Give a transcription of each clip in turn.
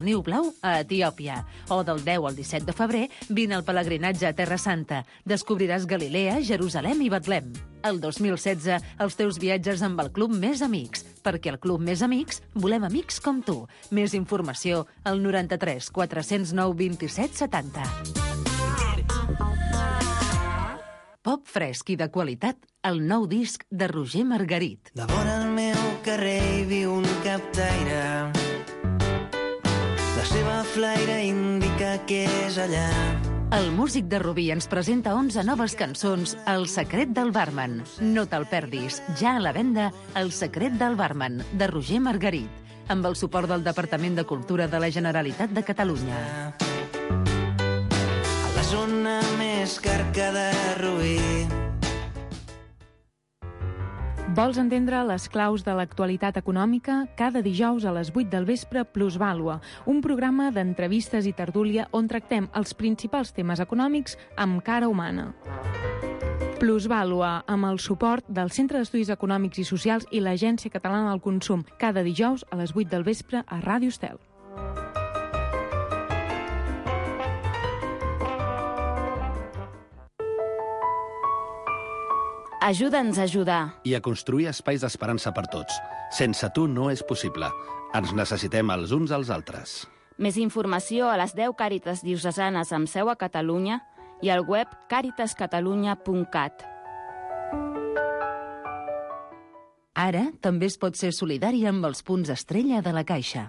Niu Blau a Etiòpia. O del 10 al 17 de febrer vine al pelegrinatge a Terra Santa. Descobriràs Galilea, Jerusalem i Betlem. El 2016, els teus viatges amb el Club Més Amics. Perquè al Club Més Amics volem amics com tu. Més informació al 93 409 27 70. Pop fresc i de qualitat, el nou disc de Roger Margarit. De vora al meu carrer hi viu un captaire. La seva flaire indica que és allà. El músic de Rubí ens presenta 11 noves cançons, El secret del barman. No te'l perdis, ja a la venda, El secret del barman, de Roger Margarit, amb el suport del Departament de Cultura de la Generalitat de Catalunya. A la zona més carca de Rubí. Vols entendre les claus de l'actualitat econòmica? Cada dijous a les 8 del vespre, Plusvàlua, un programa d'entrevistes i tertúlia on tractem els principals temes econòmics amb cara humana. Plusvàlua, amb el suport del Centre d'Estudis Econòmics i Socials i l'Agència Catalana del Consum, cada dijous a les 8 del vespre a Ràdio Estel. Ajuda'ns a ajudar. I a construir espais d'esperança per tots. Sense tu no és possible. Ens necessitem els uns als altres. Més informació a les 10 Càritas diocesanes amb seu a Catalunya i al web caritascatalunya.cat. Ara també es pot ser solidari amb els punts estrella de la Caixa.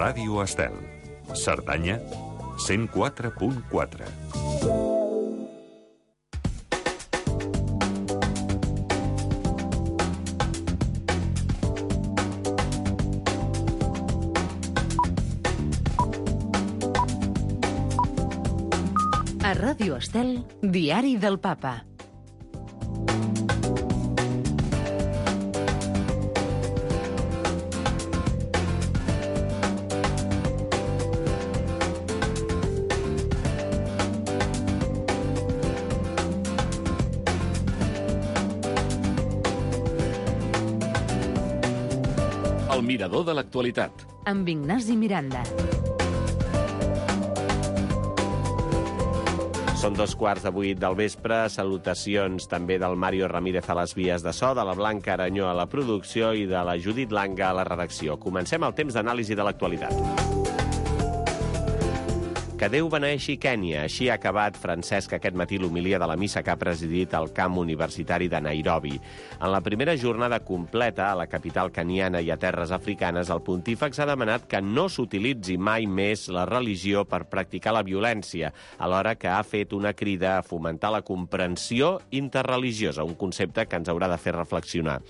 Ràdio Estel. Cerdanya, 104.4. A Ràdio Estel, Diari del Papa. El mirador de l'actualitat. Amb Ignasi Miranda. Són 2:15 del vespre. Salutacions també del Mario Ramírez a les vies de so, de la Blanca Aranyó a la producció i de la Judit Langa a la redacció. Comencem el temps d'anàlisi de l'actualitat. Que Déu beneeixi Kènia. Així ha acabat Francesc aquest matí l'homilia de la missa que ha presidit el camp universitari de Nairobi. En la primera jornada completa a la capital keniana i a terres africanes, el pontífex ha demanat que no s'utilitzi mai més la religió per practicar la violència, alhora que ha fet una crida a fomentar la comprensió interreligiosa, un concepte que ens haurà de fer reflexionar.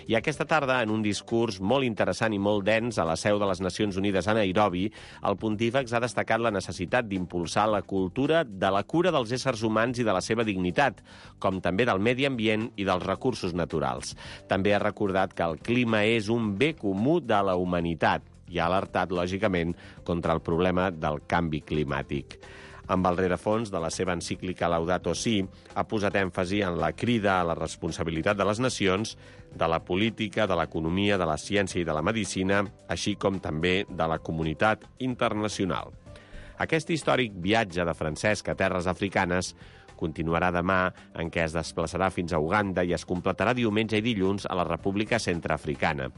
I aquesta tarda, en un discurs molt interessant i molt dens a la seu de les Nacions Unides a Nairobi, el pontífex ha destacat la necessitat d'impulsar la cultura de la cura dels éssers humans i de la seva dignitat, com també del medi ambient i dels recursos naturals. També ha recordat que el clima és un bé comú de la humanitat i ha alertat, lògicament, contra el problema del canvi climàtic. Amb el rerefons de la seva encíclica Laudato Si, ha posat èmfasi en la crida a la responsabilitat de les nacions, de la política, de l'economia, de la ciència i de la medicina, així com també de la comunitat internacional. Aquest històric viatge de Francesc a terres africanes continuarà demà, en què es desplaçarà fins a Uganda i es completarà diumenge i dilluns a la República Centreafricana.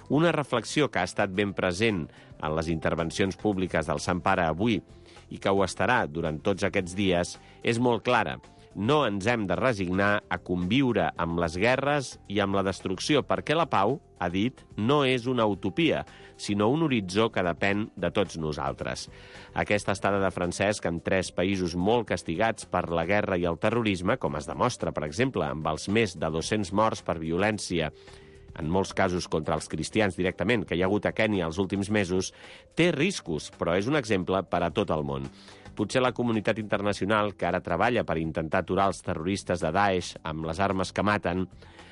Una reflexió que ha estat ben present en les intervencions públiques del Sant Pare avui i que ho estarà durant tots aquests dies és molt clara. No ens hem de resignar a conviure amb les guerres i amb la destrucció, perquè la pau, ha dit, no és una utopia, sinó un horitzó que depèn de tots nosaltres. Aquesta estada de Francesc en 3 països molt castigats per la guerra i el terrorisme, com es demostra, per exemple, amb els més de 200 morts per violència, en molts casos contra els cristians directament, que hi ha hagut a Kènia els últims mesos, té riscos, però és un exemple per a tot el món. Potser la comunitat internacional, que ara treballa per intentar aturar els terroristes de Daesh amb les armes que maten,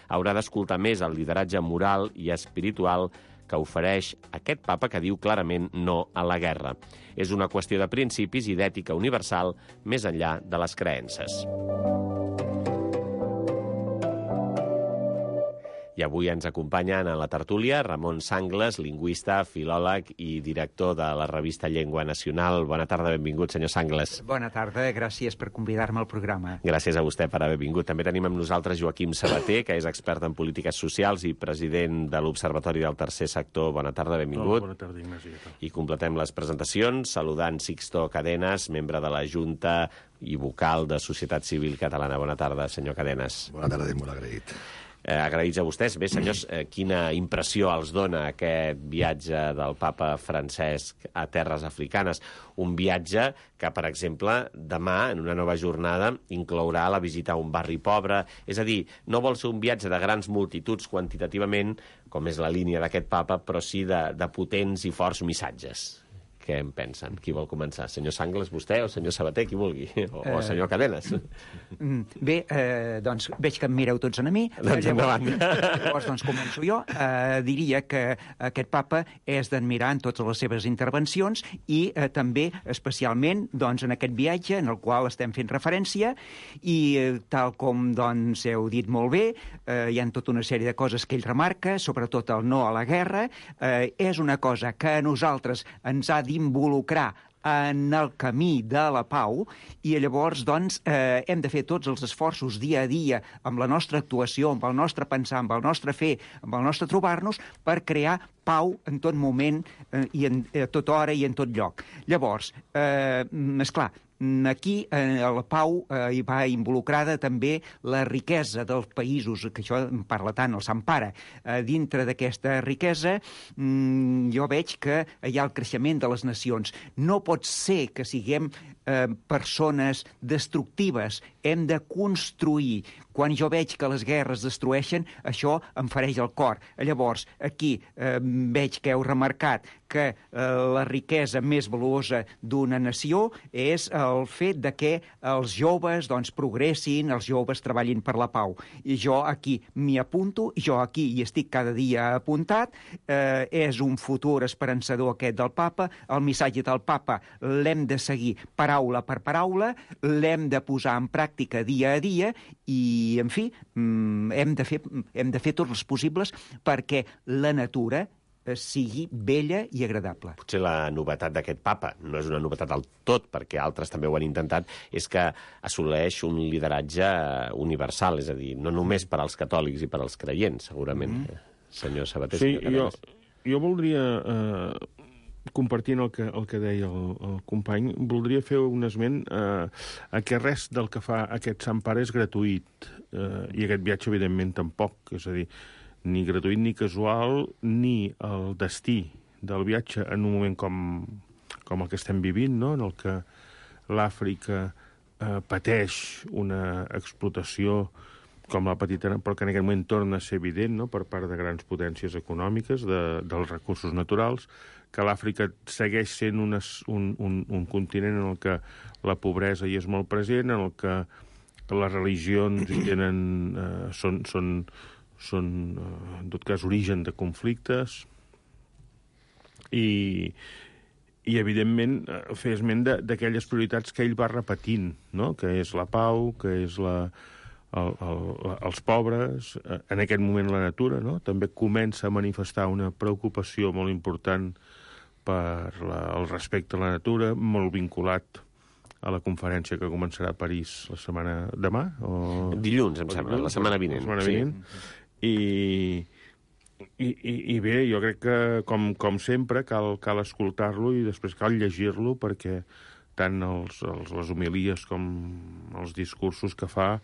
haurà d'escoltar més el lideratge moral i espiritual que ofereix aquest papa que diu clarament no a la guerra. És una qüestió de principis i d'ètica universal més enllà de les creences. I avui ens acompanyen a la tertúlia Ramon Sangles, lingüista, filòleg i director de la revista Llengua Nacional. Bona tarda, benvingut, senyor Sangles. Bona tarda, gràcies per convidar-me al programa. Gràcies a vostè per haver vingut. També tenim amb nosaltres Joaquim Sabater, que és expert en polítiques socials i president de l'Observatori del Tercer Sector. Bona tarda, benvingut. Bona tarda, Ignasi. I completem les presentacions saludant Sixto Cadenas, membre de la Junta i vocal de Societat Civil Catalana. Bona tarda, senyor Cadenas. Bona tarda i molt agraït. Agraïts a vostès. Bé, senyors, quina impressió els dona aquest viatge del papa Francesc a terres africanes? Un viatge que, per exemple, demà, en una nova jornada, inclourà la visita a un barri pobre. És a dir, no vol ser un viatge de grans multituds quantitativament, com és la línia d'aquest papa, però sí de potents i forts missatges. Què en pensen? Qui vol començar? Senyor Sangles, vostè, o senyor Sabater, qui vulgui? O senyor Cadenas? Bé, doncs veig que em mireu tots a mi. Doncs endavant. Llavors, doncs començo jo. Diria que aquest papa és d'admirar en totes les seves intervencions i també, especialment, doncs, en aquest viatge en el qual estem fent referència i, tal com doncs, heu dit molt bé, hi ha tota una sèrie de coses que ell remarca, sobretot el no a la guerra. És una cosa que a nosaltres ens ha d'involucrar en el camí de la pau i llavors doncs, hem de fer tots els esforços dia a dia amb la nostra actuació, amb el nostre pensar, amb el nostre fer, amb el nostre trobar-nos per crear pau en tot moment i a tota hora i en tot lloc. Llavors, esclar, aquí a la pau hi va involucrada també la riquesa dels països, que això en parla tant el Sant Pare. Dintre d'aquesta riquesa jo veig que hi ha el creixement de les nacions. No pot ser que siguem persones destructives. Hem de construir. Quan jo veig que les guerres destrueixen, això em fereix el cor. Llavors, aquí veig que heu remarcat que la riquesa més valuosa d'una nació és el fet de que els joves progressin, els joves treballin per la pau. I jo aquí m'hi apunto, jo aquí hi estic cada dia apuntat, és un futur esperançador aquest del papa, el missatge del papa l'hem de seguir paraula per paraula, l'hem de posar en pràctica dia a dia i, en fi, hem de fer tots els possibles perquè la natura sigui bella i agradable. Potser la novetat d'aquest papa, no és una novetat del tot, perquè altres també ho han intentat, és que assoleix un lideratge universal, és a dir, no només per als catòlics i per als creients, segurament. Senyor Sabater. Sí, jo voldria, compartint el que deia el company, voldria fer un esment a que res del que fa aquest Sant Pare és gratuït, i aquest viatge, evidentment, tampoc. És a dir, ni gratuït ni casual, ni el destí del viatge en un moment com el que estem vivint, no? En el que l'Àfrica pateix una explotació com la petita, però que en aquest moment torna a ser evident, no?, per part de grans potències econòmiques, dels recursos naturals, que l'Àfrica segueix sent un continent en el que la pobresa hi és molt present, en el que les religions hi tenen, són, en tot cas, origen de conflictes i evidentment, fer esment d'aquelles prioritats que ell va repetint, no?, que és la pau, que és els pobres, en aquest moment la natura, no?, també comença a manifestar una preocupació molt important per el respecte a la natura, molt vinculat a la conferència que començarà a París la setmana demà? Dilluns, em sembla, la setmana vinent. La setmana vinent. I bé, jo crec que, com sempre, cal escoltar-lo i després cal llegir-lo perquè tant les homilies com els discursos que fa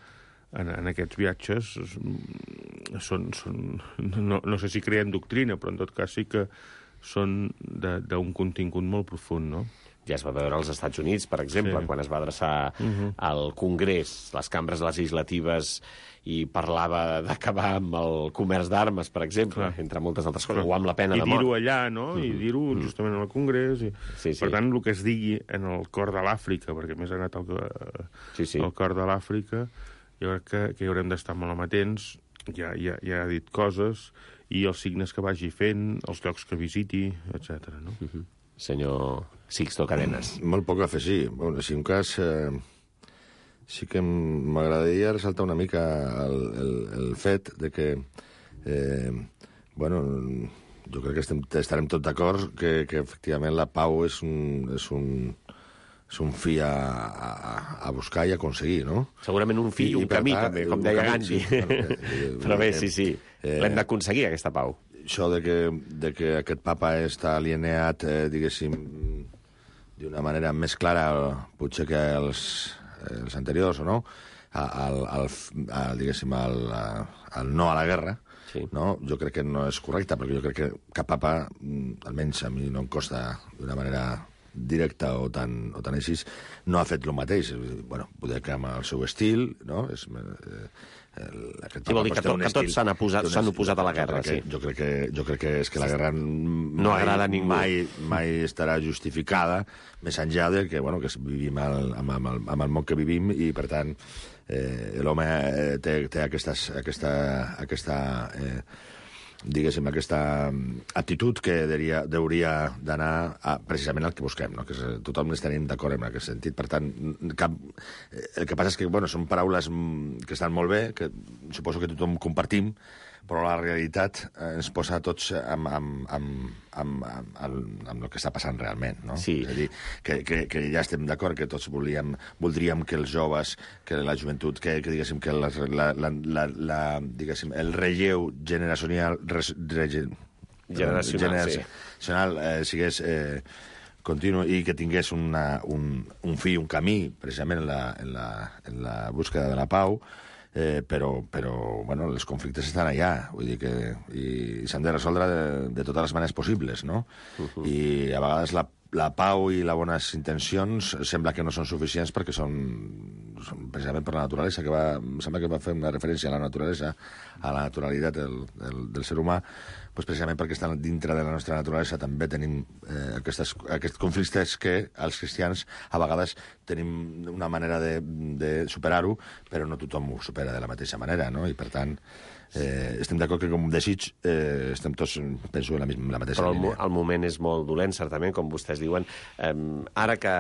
en aquests viatges no sé si creen doctrina, però en tot cas sí que són d'un contingut molt profund, no? Ja es va veure als Estats Units, per exemple, quan es va adreçar al Congrés, les cambres legislatives, i parlava d'acabar amb el comerç d'armes, per exemple, entre moltes altres coses, o amb la pena de mort. I dir-ho allà, no? I dir-ho justament al Congrés. Per tant, el que es digui en el cor de l'Àfrica, perquè més ha anat al cor de l'Àfrica, jo crec que hi haurem d'estar molt amatents. Ja ha dit coses, i els signes que vagi fent, els llocs que visiti, etc. No? Senyor Sixto Cadenas. Molt poc a afegir. Bueno, si un cas, sí que m'agradaria ressaltar una mica el fet de que, bueno, jo crec que estarem tots d'acord que efectivament la pau és un fi a buscar i a aconseguir, no? Segurament un fi i un camí, també, com deia Gandhi. Però bé, sí. L'hem d'aconseguir, aquesta pau. Això de que aquest papa està alineat, diguéssim, d'una manera més clara, potser que els anteriors, o no? Diguéssim, al no a la guerra, no? Jo crec que no és correcte, perquè jo crec que cap papa, almenys a mi no em costa d'una manera directa o tan així, no ha fet el mateix. Bueno, poder que amb el seu estil, no? Vol dir que tots s'han oposat a la guerra, sí. Jo crec que és que la guerra no agrada a ningú. Mai estarà justificada, més enllà de que, bueno, que vivim amb el món que vivim i, per tant, l'home té aquesta diguéssim, aquesta actitud que hauria d'anar precisament al que busquem, no? Que tothom estaríem d'acord en aquest sentit. Per tant, el que passa és que, bueno, són paraules que estan molt bé, que suposo que tothom compartim, però la realitat ens posa tots amb el que està passant realment, no? Sí. És a dir, que ja estem d'acord que tots voldríem que els joves, que la joventut, que diguéssim, que diguéssim, el relleu generacional sigués continu i que tingués un fi, un camí, precisament en la búsqueda de la pau, però bueno, els conflictes estan allà, vull dir que i s'han de resoldre de totes les maneres possibles, no? I a vegades la pau i les bones intencions sembla que no són suficients perquè són precisament per la naturalesa, em sembla que va fer una referència a la naturalesa, a la naturalitat del ser humà. precisament perquè estan dintre de la nostra naturalesa, també tenim aquests conflictes que els cristians a vegades tenim una manera de superar-ho, però no tothom ho supera de la mateixa manera, no? I per tant, estem d'acord que com desig estem tots, penso, en la mateixa línia. Però el moment és molt dolent, certament, com vostès diuen. Ara que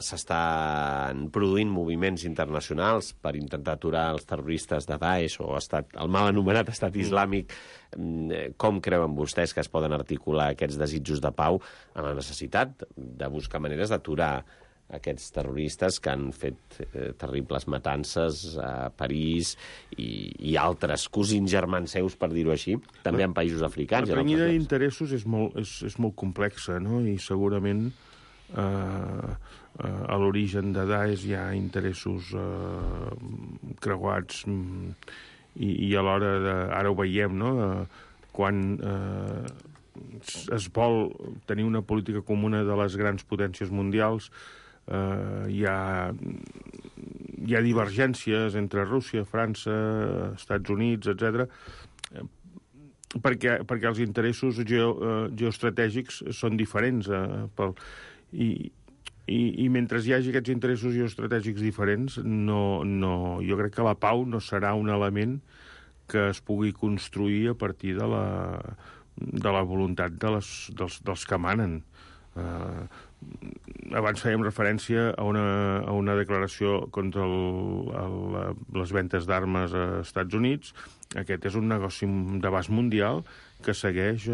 s'estan produint moviments internacionals per intentar aturar els terroristes de Daesh o el mal anomenat Estat Islàmic, com creuen vostès que es poden articular aquests desitjos de pau en la necessitat de buscar maneres d'aturar aquests terroristes que han fet terribles matances a París i altres cosins germans seus, per dir-ho així, també en països africans. La renyida d'interessos és molt complexa, no? I segurament a l'origen de Daesh hi ha interessos creuats i alhora, ara ho veiem, no? Quan es vol tenir una política comuna de les grans potències mundials, hi ha divergències entre Rússia, França, Estats Units, etc. Perquè els interessos geoestratègics són diferents. I mentre hi hagi aquests interessos geoestratègics diferents, jo crec que la pau no serà un element que es pugui construir a partir de la voluntat dels que manen. Abans fèiem referència a una declaració contra les ventes d'armes a Estats Units. Aquest és un negoci d'abast mundial que segueix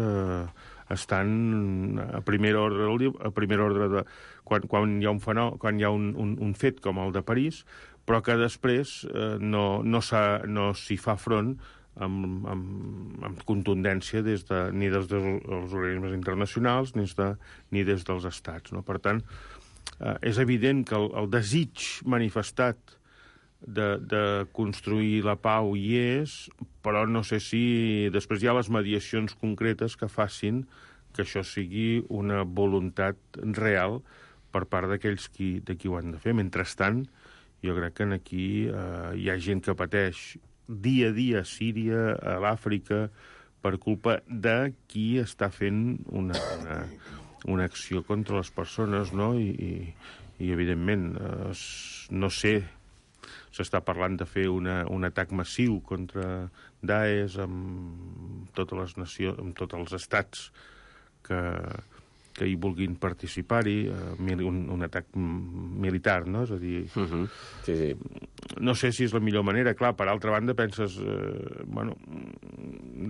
estant a primer ordre quan hi ha un fet com el de París, però que després no s'hi fa front amb contundència ni des dels organismes internacionals ni des dels estats, no? Per tant, és evident que el desig manifestat de construir la pau hi és, però no sé si després hi ha les mediacions concretes que facin que això sigui una voluntat real per part d'aquells qui ho han de fer. Mentrestant, jo crec que aquí hi ha gent que pateix dia a dia a Síria, a l'Àfrica, per culpa de qui està fent una acció contra les persones, no? I evidentment, no sé, s'està parlant de fer un atac massiu contra Daesh amb totes les nacions, amb tots els estats que hi vulguin participar-hi, un atac militar, no? És a dir, sí. No sé si és la millor manera. Clar, per altra banda, penses,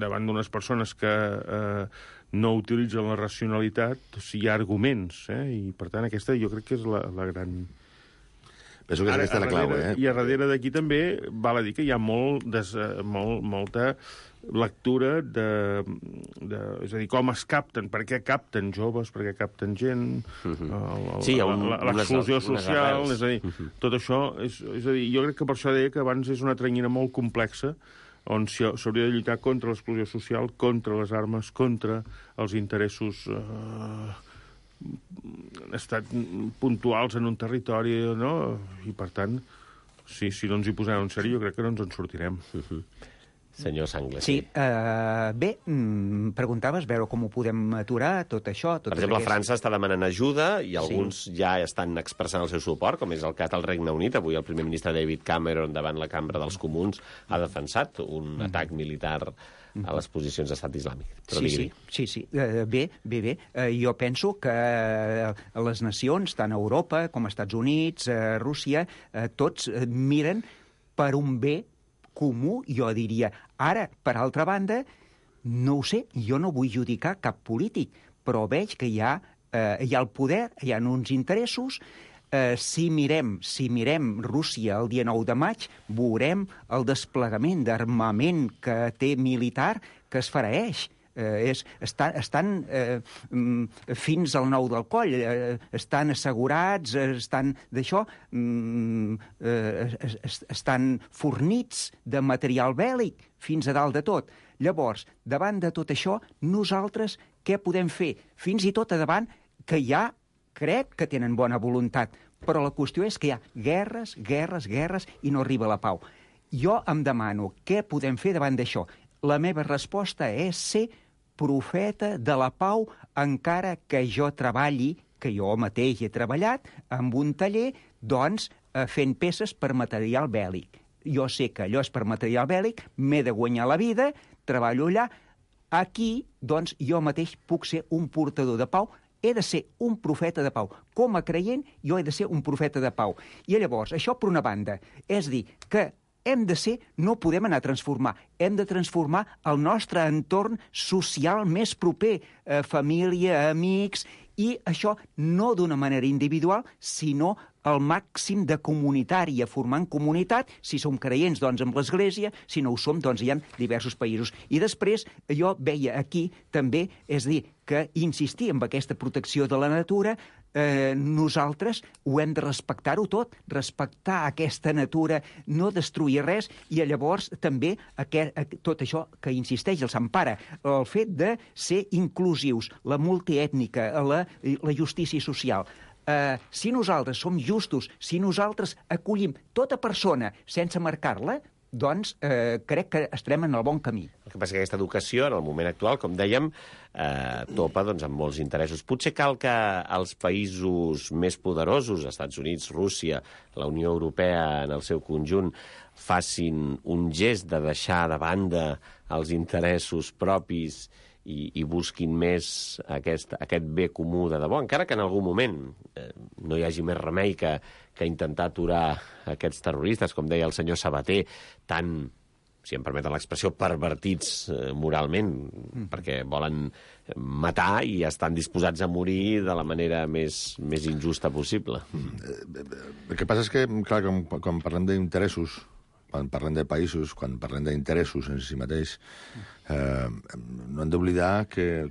davant d'unes persones que no utilitzen la racionalitat, si hi ha arguments, i per tant aquesta jo crec que és la gran... Penso que aquesta és la clau, I a darrere d'aquí també val a dir que hi ha molta lectura és a dir, com es capten, per què capten joves, per què capten gent, l'exclusió social, és a dir, tot això, és a dir, jo crec que per això deia que abans és una tranyina molt complexa on s'hauria de lluitar contra l'exclusió social, contra les armes, contra els interessos estat puntuals en un territori, no? I per tant, si no ens hi posem en sèrio, jo crec que no ens en sortirem. Senyor Sangles. Sí, bé, preguntaves veure com ho podem aturar, tot això... Per exemple, França està demanant ajuda i alguns ja estan expressant el seu suport, com és el cas del Regne Unit. Avui el primer ministre David Cameron, davant la Cambra dels Comuns, ha defensat un atac militar a les posicions d'estat islàmic. Sí. Bé. Jo penso que les nacions, tant Europa com Estats Units, Rússia, tots miren per un bé comú, jo diria. Ara, per altra banda, no ho sé, jo no vull judicar cap polític, però veig que hi ha el poder, hi ha uns interessos. Si mirem Rússia el dia 9 de maig, veurem el desplegament d'armament que té militar que es fareix. Estan fins al nou del coll, estan assegurats, estan d'això, estan fornits de material bèl·lic fins a dalt de tot. Llavors, davant de tot això, nosaltres què podem fer? Fins i tot a davant que ja crec que tenen bona voluntat, però la qüestió és que hi ha guerres i no arriba la pau. Jo em demano què podem fer davant d'això. La meva resposta és ser profeta de la pau, encara que jo treballi, que jo mateix he treballat, amb un taller, doncs, fent peces per material bèl·lic. Jo sé que allò és per material bèl·lic, m'he de guanyar la vida, treballo allà. Aquí, doncs, jo mateix puc ser un portador de pau, he de ser un profeta de pau. Com a creient, jo he de ser un profeta de pau. I llavors, això per una banda, és dir, que hem de ser, no podem anar a transformar, hem de transformar el nostre entorn social més proper, família, amics, i això no d'una manera individual, sinó el màxim de comunitària, formant comunitat, si som creients, doncs, amb l'Església, si no ho som, doncs, hi ha diversos països. I després, jo veia aquí, també, és dir, que insistir en aquesta protecció de la natura, nosaltres ho hem de respectar-ho tot, respectar aquesta natura, no destruir res, i llavors també tot això que insisteix el Sant Pare, el fet de ser inclusius, la multiètnica, la justícia social. Si nosaltres som justos, si nosaltres acollim tota persona sense marcar-la, doncs crec que estarem en el bon camí. El que passa que aquesta educació, en el moment actual, com dèiem, topa doncs, amb molts interessos. Potser cal que els països més poderosos, Estats Units, Rússia, la Unió Europea en el seu conjunt, facin un gest de deixar de banda els interessos propis i busquin més aquest bé comú de debò, encara que en algun moment no hi hagi més remei que intentar aturar aquests terroristes, com deia el senyor Sabater, tan, si em permeten l'expressió, pervertits moralment, perquè volen matar i estan disposats a morir de la manera més injusta possible. El que passa és que, clar, quan parlem d'interessos, quan parlem de països, quan parlem d'interessos en si mateix, no hem d'oblidar que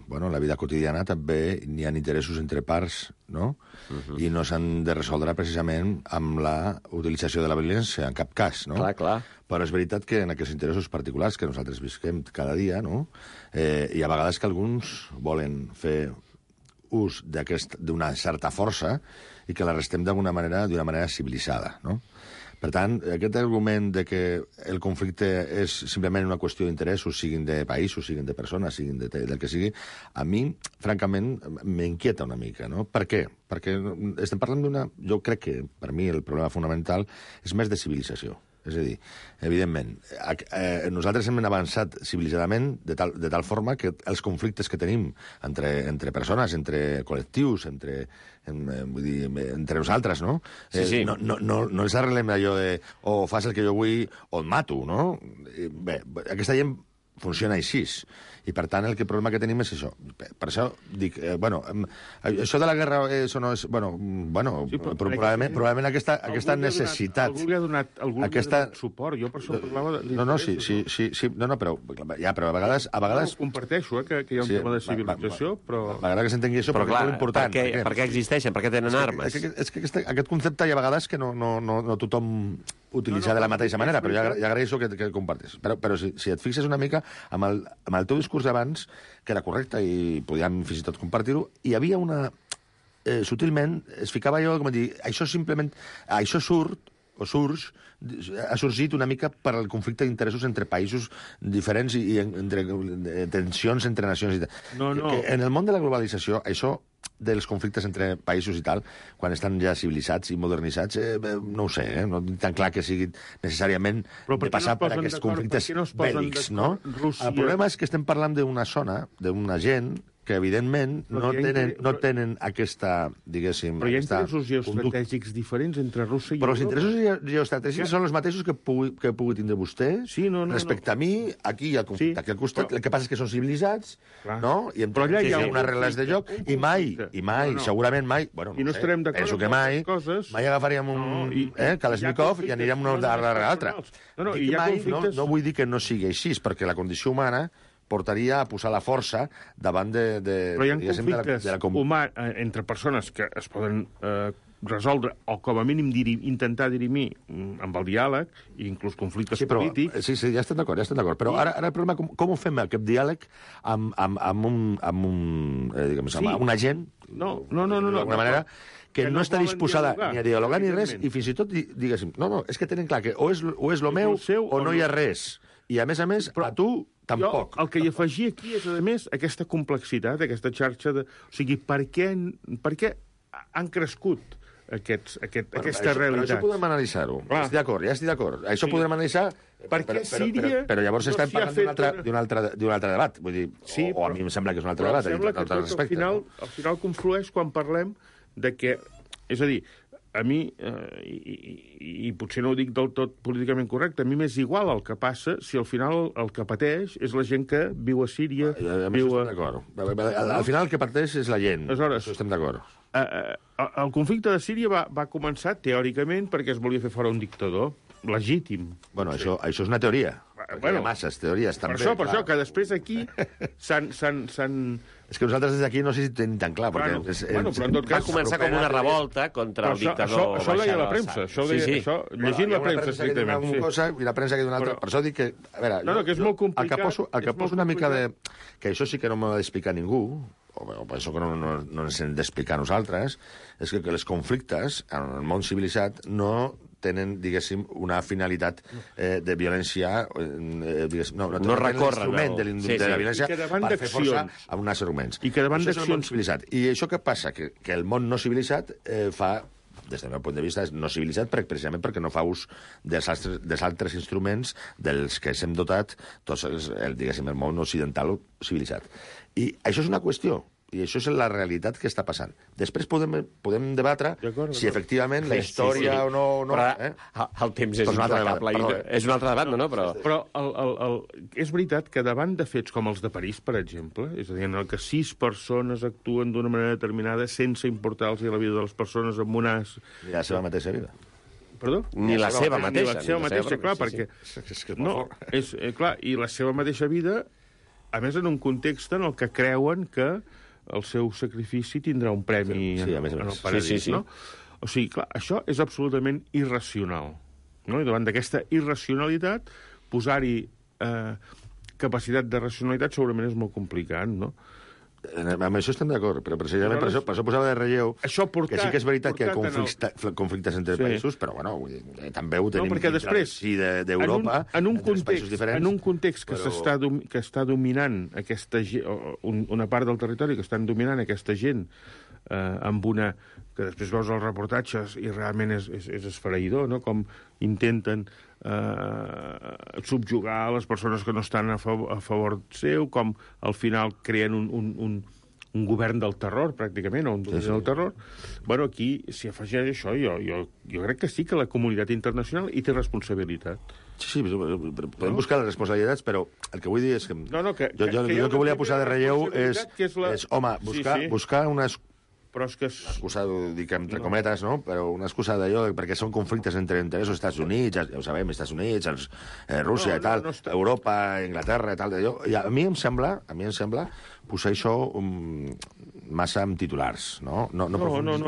bueno, en la vida quotidiana també n'hi ha interessos entre parts, no? I no s'han de resoldre precisament amb la utilització de la violència, en cap cas, no? Clar. Però és veritat que en aquests interessos particulars que nosaltres visquem cada dia, no? Hi ha vegades que alguns volen fer ús d'una certa força i que la restem d'una manera civilitzada, no? Per tant, aquest argument de que el conflicte és simplement una qüestió d'interessos, siguin de països, siguin de persones, siguin del que sigui, a mi, francament, m'inquieta una mica, no? Per què? Perquè estem parlant jo crec que, per mi, el problema fonamental és més de civilització. És a dir, evidentment, nosaltres hem avançat civilitzadament de tal forma que els conflictes que tenim entre persones, entre col·lectius, entre nosaltres, no? Sí. No ens arreglem allò de o fas el que jo vull o et mato, no? Bé, aquesta gent funciona així. I, per tant, el problema que tenim és això. Per això dic, això de la guerra, això no és... Sí, probablement aquesta necessitat... Algú li ha donat suport, jo per això parlava però a vegades... No, comparteixo, que hi ha un tema de civilització, però... M'agrada que s'entengui això, però perquè és molt important. Per què existeixen? Per què tenen armes? És que aquest concepte hi ha vegades que no tothom utilitza de la mateixa manera, però ja agraeixo que el compartis. Però si et fixes una mica amb el teu discurs d'abans, que era correcte i podíem fins i tot compartir-ho, hi havia una... sutilment es ficava allò com a dir, això simplement... Això ha sorgit una mica per al conflicte d'interessos entre països diferents i entre tensions entre nacions i tal. No. En el món de la globalització, això dels conflictes entre països i tal, quan estan ja civilitzats i modernitzats, no ho sé, no tinc tan clar que sigui necessàriament de passar per aquests conflictes bèl·lics, no? El problema és que estem parlant d'una zona, d'una gent que, evidentment, no tenen aquesta, diguéssim... Però hi ha interessos geoestratègics diferents entre Rússia i Europa. Però els interessos geoestratègics són els mateixos que pugui tindre vostè respecte a mi, aquí al conflicte, aquí al costat. El que passa és que són civilitzats, no? I allà hi ha unes regles de joc, i mai, segurament mai, i no estarem d'acord penso que mai agafaríem un Kalashnikov i aniríem una darrere l'altra. No vull dir que no sigui així, perquè la condició humana portaria a posar la força davant de... Però hi ha conflictes humans entre persones que es poden resoldre, o com a mínim intentar dirimir amb el diàleg, i inclús conflictes polítics... Sí, ja estem d'acord. Però ara el problema, com ho fem, aquest diàleg amb una gent, d'alguna manera, que no està disposada ni a dialogar ni res, i fins i tot, diguéssim, no, és que tenen clar que o és lo meu o no hi ha res. I, a més, a tu tampoc. El que hi afegia aquí és, a més, aquesta complexitat, aquesta xarxa de... O sigui, per què han crescut aquesta realitat? Però això podem analitzar-ho. Estic d'acord, ja estic d'acord. Això podem analitzar... Però llavors estem parlant d'un altre debat. Vull dir, o a mi em sembla que és un altre debat. Sembla que al final conflueix quan parlem de que... És a dir, a mi, i potser no ho dic del tot políticament correcte, a mi m'és igual el que passa si al final el que pateix és la gent que viu a Síria... Al final el que pateix és la gent. Aleshores, estem d'acord. El conflicte de Síria va començar teòricament perquè es volia fer fora un dictador legítim. Bueno, això és una teoria. Hi ha masses teories, també. Per això, que després aquí s'han... És que nosaltres des d'aquí no sé si tenim tan clar, perquè... Però en tot cas... Va començar com una revolta contra el dictador. Això ho deia la premsa, llegint la premsa, estrictament. I la premsa que diu una altra. Per això dic que... A veure, no, que és molt complicat. El que poso una mica de... Que això sí que no m'ho ha d'explicar ningú, o penso que no ens hem d'explicar nosaltres, és que els conflictes en el món civilitzat no tenen, diguéssim, una finalitat de violència... No recorren de la violència per fer força amb uns arguments. I que davant d'accions... I això què passa? Que el món no civilitzat fa, des del meu punt de vista, és no civilitzat precisament perquè no fa ús dels altres instruments dels que s'hem dotat tots diguéssim, el món occidental civilitzat. I això és una qüestió. I això és la realitat que està passant. Després podem debatre si efectivament la història o no... Però el temps és implacable. És un altre debat, no? Però és veritat que davant de fets com els de París, per exemple, és a dir, en el que 6 persones actuen d'una manera determinada sense importar-los la vida de les persones amb unes... I la seva mateixa vida. Perdó? Ni la seva mateixa. Ni la seva mateixa, clar, perquè... No, clar, i la seva mateixa vida, a més, en un context en el que creuen que el seu sacrifici tindrà un premi en el paradís, no? O sigui, clar, això és absolutament irracional, no? I davant d'aquesta irracionalitat, posar-hi capacitat de racionalitat segurament és molt complicat, no? Amb això estem d'acord, però precisament per això posava de relleu que sí que és veritat que hi ha conflictes entre països, però bueno, també ho tenim d'Europa, entre països diferents. En un context que està dominant una part del territori, que estan dominant aquesta gent amb una... que després veus els reportatges i realment és esfereïdor, no? Com intenten subjugar les persones que no estan a favor seu, com al final creen un govern del terror, pràcticament, o un domini del terror. Bueno, aquí s'hi afegeix això. Jo crec que sí que la comunitat internacional hi té responsabilitat. Sí, podem buscar les responsabilitats, però el que vull dir és que... Jo el que volia posar de relleu és home, buscar unes... Però és que excusa, ho dic entre cometes, no? Però una excusa d'allò, perquè són conflictes entre interessos als Estats Units, ja ho sabem, Estats Units, Rússia i tal, Europa, Anglaterra i tal, d'allò. I a mi em sembla posar això massa amb titulars, no? No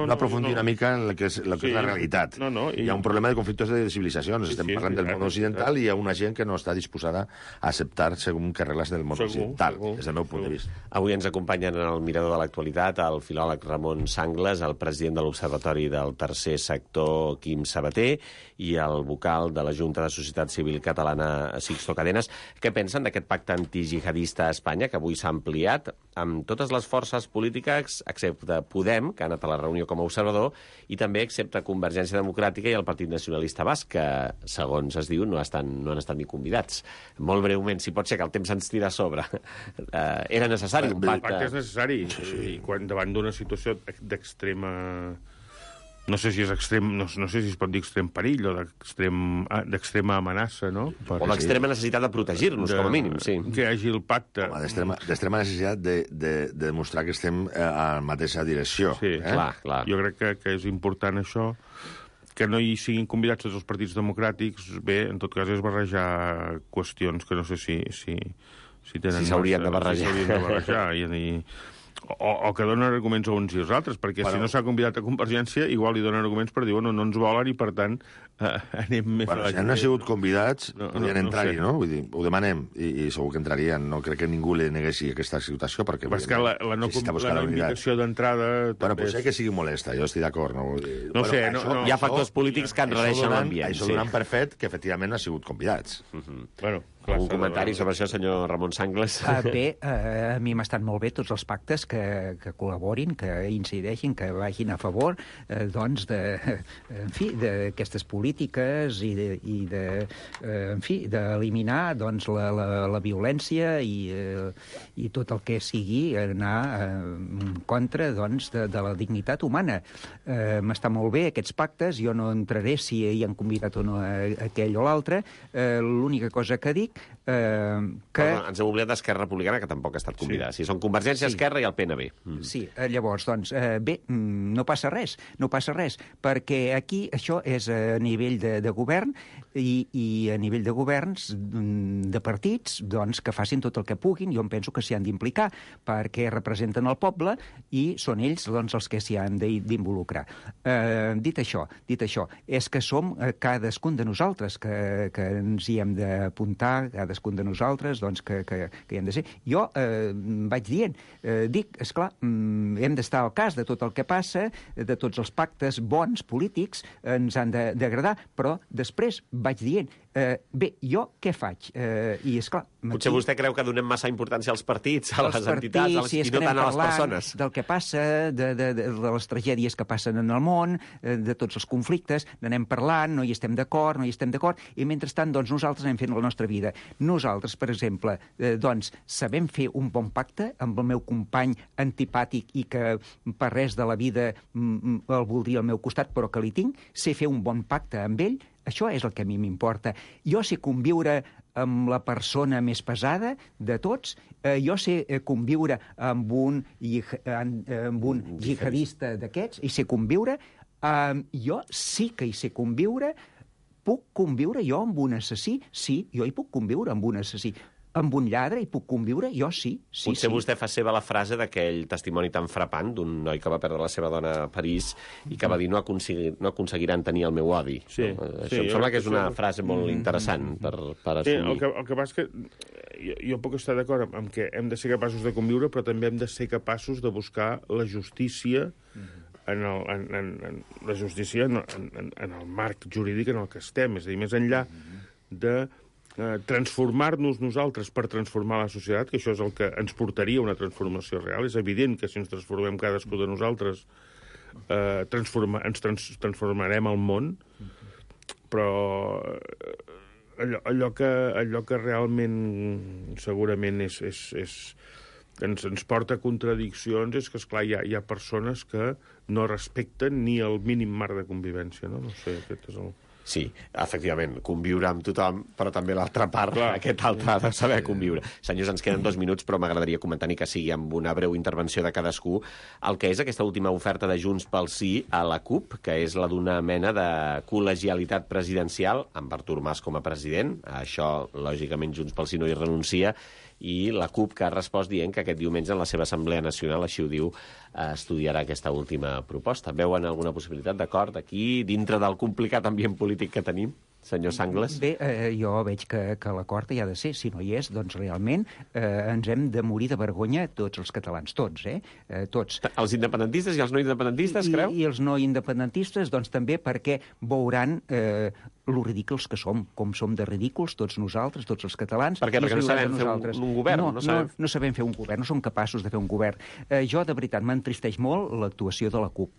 aprofundir una mica en el que és la realitat. Hi ha un problema de conflictes de civilitzacions. Estem parlant del món occidental i hi ha una gent que no està disposada a acceptar segons que regles del món occidental, des del meu punt de vista. Avui ens acompanyen en el Mirador de l'Actualitat el filòleg Ramon Sangles, el president de l'Observatori del Tercer Sector, Quim Sabater, i el vocal de la Junta de Societat Civil Catalana, Sixto Cadenas. Què pensen d'aquest pacte antijihadista a Espanya, que avui s'ha ampliat amb totes les forces polítiques, excepte Podem, que ha anat a la reunió com a observador, i també excepte Convergència Democràtica i el Partit Nacionalista Basc, que, segons es diu, no han estat ni convidats. Molt breument, si pot ser que el temps ens tira a sobre. Era necessari un pacte? El pacte és necessari, i quan davant d'una situació d'extrema... No sé si és extrem, no sé si es pot dir extrem perill o d'extrema amenaça, no? O d'extrema necessitat de protegir-nos, com a mínim, sí. Que hi hagi el pacte. D'extrema necessitat de demostrar que estem a la mateixa direcció. Sí, clar. Jo crec que és important això, que no hi siguin convidats tots els partits democràtics. Bé, en tot cas és barrejar qüestions que no sé si tenen... Si s'haurien de barrejar. O que donen arguments a uns i als altres, perquè si no s'ha convidat a Convergència, igual li donen arguments per dir, no ens volen i, per tant, anem més a la gent. Si han sigut convidats, podrien entrar-hi, no? Vull dir, ho demanem, i segur que entrarien. No crec que ningú li neguessi aquesta situació, perquè... Però és que la invitació d'entrada... Bueno, potser que sigui molesta, jo estic d'acord. No sé, hi ha factors polítics que enrareixen l'ambient. Això donant per fet que, efectivament, han sigut convidats. Bueno, Un comentari sobre això, senyor Ramon Sangles? Bé, a mi m'estan molt bé tots els pactes que col·laborin, que incideixin, que vagin a favor d'aquestes polítiques i d'eliminar la violència i tot el que sigui anar en contra de la dignitat humana. M'està molt bé aquests pactes, jo no entraré si hi han convidat o no aquell o l'altre. L'única cosa que dic que... Ens hem oblidat d'Esquerra Republicana, que tampoc ha estat convidada. Si són Convergència, Esquerra i el PNB. Sí, llavors, bé, no passa res, perquè aquí això és a nivell de govern i a nivell de governs de partits que facin tot el que puguin. Jo em penso que s'hi han d'implicar perquè representen el poble i són ells els que s'hi han d'involucrar. Dit això, és que som cadascun de nosaltres que ens hi hem d'apuntar, cadascun de nosaltres que hi hem de ser. Jo vaig dient, esclar, hem d'estar al cas de tot el que passa, de tots els pactes bons polítics, ens han d'agradar, però després vaig dient, bé, jo què faig? I, esclar... Potser vostè creu que donem massa importància als partits, a les entitats, i no tant a les persones. Del que passa, de les tragèdies que passen en el món, de tots els conflictes, n'anem parlant, no hi estem d'acord, i mentrestant, nosaltres anem fent la nostra vida. Nosaltres, per exemple, sabem fer un bon pacte amb el meu company antipàtic i que per res de la vida el voldria al meu costat, però que li tinc, sé fer un bon pacte amb ell. Això és el que a mi m'importa. Jo sé conviure amb la persona més pesada de tots, jo sé conviure amb un jihadista d'aquests, i sé conviure, jo sí que hi sé conviure, puc conviure jo amb un assassí? Sí, jo hi puc conviure amb un assassí. Amb un lladre hi puc conviure? Jo sí. Potser vostè fa seva la frase d'aquell testimoni tan frapant d'un noi que va perdre la seva dona a París i que va dir no aconseguiran tenir el meu odi. Això em sembla que és una frase molt interessant per assumir. El que passa és que jo puc estar d'acord amb que hem de ser capaços de conviure, però també hem de ser capaços de buscar la justícia en el marc jurídic en el que estem. És a dir, més enllà de transformar-nos nosaltres per transformar la societat, que això és el que ens portaria a una transformació real. És evident que si ens transformem cadascú de nosaltres ens transformarem el món, però allò que realment segurament ens porta a contradiccions és que, esclar, hi ha persones que no respecten ni el mínim marc de convivència, no? No sé, aquest és el... Sí, efectivament, conviure amb tothom, però també l'altra part, aquest altre ha de saber conviure. Senyors, ens queden 2 minuts, però m'agradaria comentar, ni que sigui amb una breu intervenció de cadascú, el que és aquesta última oferta de Junts pel Sí a la CUP, que és la d'una mena de col·legialitat presidencial, amb Artur Mas com a president. Això, lògicament, Junts pel Sí no hi renuncia, i la CUP que ha respost dient que aquest diumenge en la seva Assemblea Nacional, així ho diu, estudiarà aquesta última proposta. Veuen alguna possibilitat d'acord aquí, dintre del complicat ambient polític que tenim, senyor Sangles? Bé, jo veig que l'acord hi ha de ser. Si no hi és, doncs realment ens hem de morir de vergonya tots els catalans, tots, tots. Els independentistes i els no independentistes, creu? I els no independentistes, doncs també perquè veuran lo ridículs que som, com som de ridículs tots nosaltres, tots els catalans. Per què? Perquè no sabem fer un govern? No sabem fer un govern, no som capaços de fer un govern. Jo, de veritat, m'entristeix molt l'actuació de la CUP.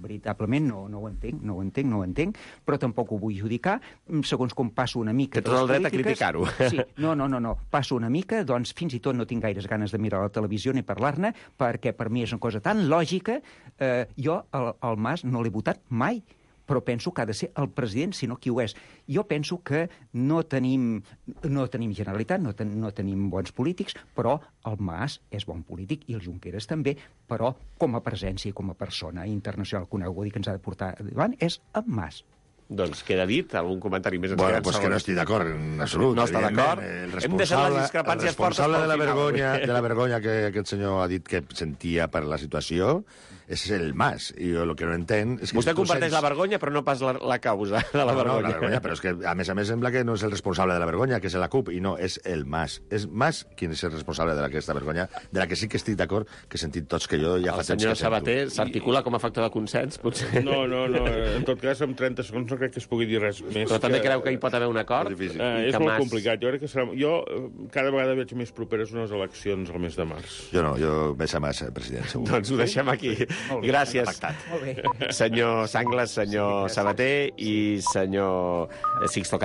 Veritablement no ho entenc, però tampoc ho vull judicar. Segons com passo una mica... Té tot el dret a criticar-ho. Sí, no. Passo una mica, doncs fins i tot no tinc gaires ganes de mirar la televisió ni parlar-ne, perquè per mi és una cosa tan lògica. Jo al Mas no l'he votat mai, però penso que ha de ser el president, si no qui ho és. Jo penso que no tenim Generalitat, no tenim bons polítics, però el Mas és bon polític i el Junqueras també, però com a presència i com a persona internacional coneguda i que ens ha de portar davant és el Mas. Doncs queda dit, algun comentari més? Bueno, pues que no estic d'acord en absolut. No està d'acord? Hem deixat les discrepàncies fortes pel final. De la vergonya que aquest senyor ha dit que sentia per la situació és el Mas. I jo el que no entenc... És que vostè comparteix la vergonya, però no pas la causa de la vergonya. No, la vergonya, però és que, a més, sembla que no és el responsable de la vergonya, que és la CUP, i no, és el Mas. És Mas qui és el responsable d'aquesta vergonya, de la que sí que estic d'acord, que he sentit tots que jo ja fa temps que sento. El senyor Sabater s'articula com a factor de consens, potser? No, en tot cas, en 30 segons no crec que es pugui dir res més. Però també creu que hi pot haver un acord? És molt complicat. Jo crec que serà... Jo cada vegada veig més properes unes eleccions al mes de març. Jo no, jo més a massa, president, segur. Doncs ho deixem aquí. Gràcies, senyor Sanglas, senyor Sabater i senyor Sixto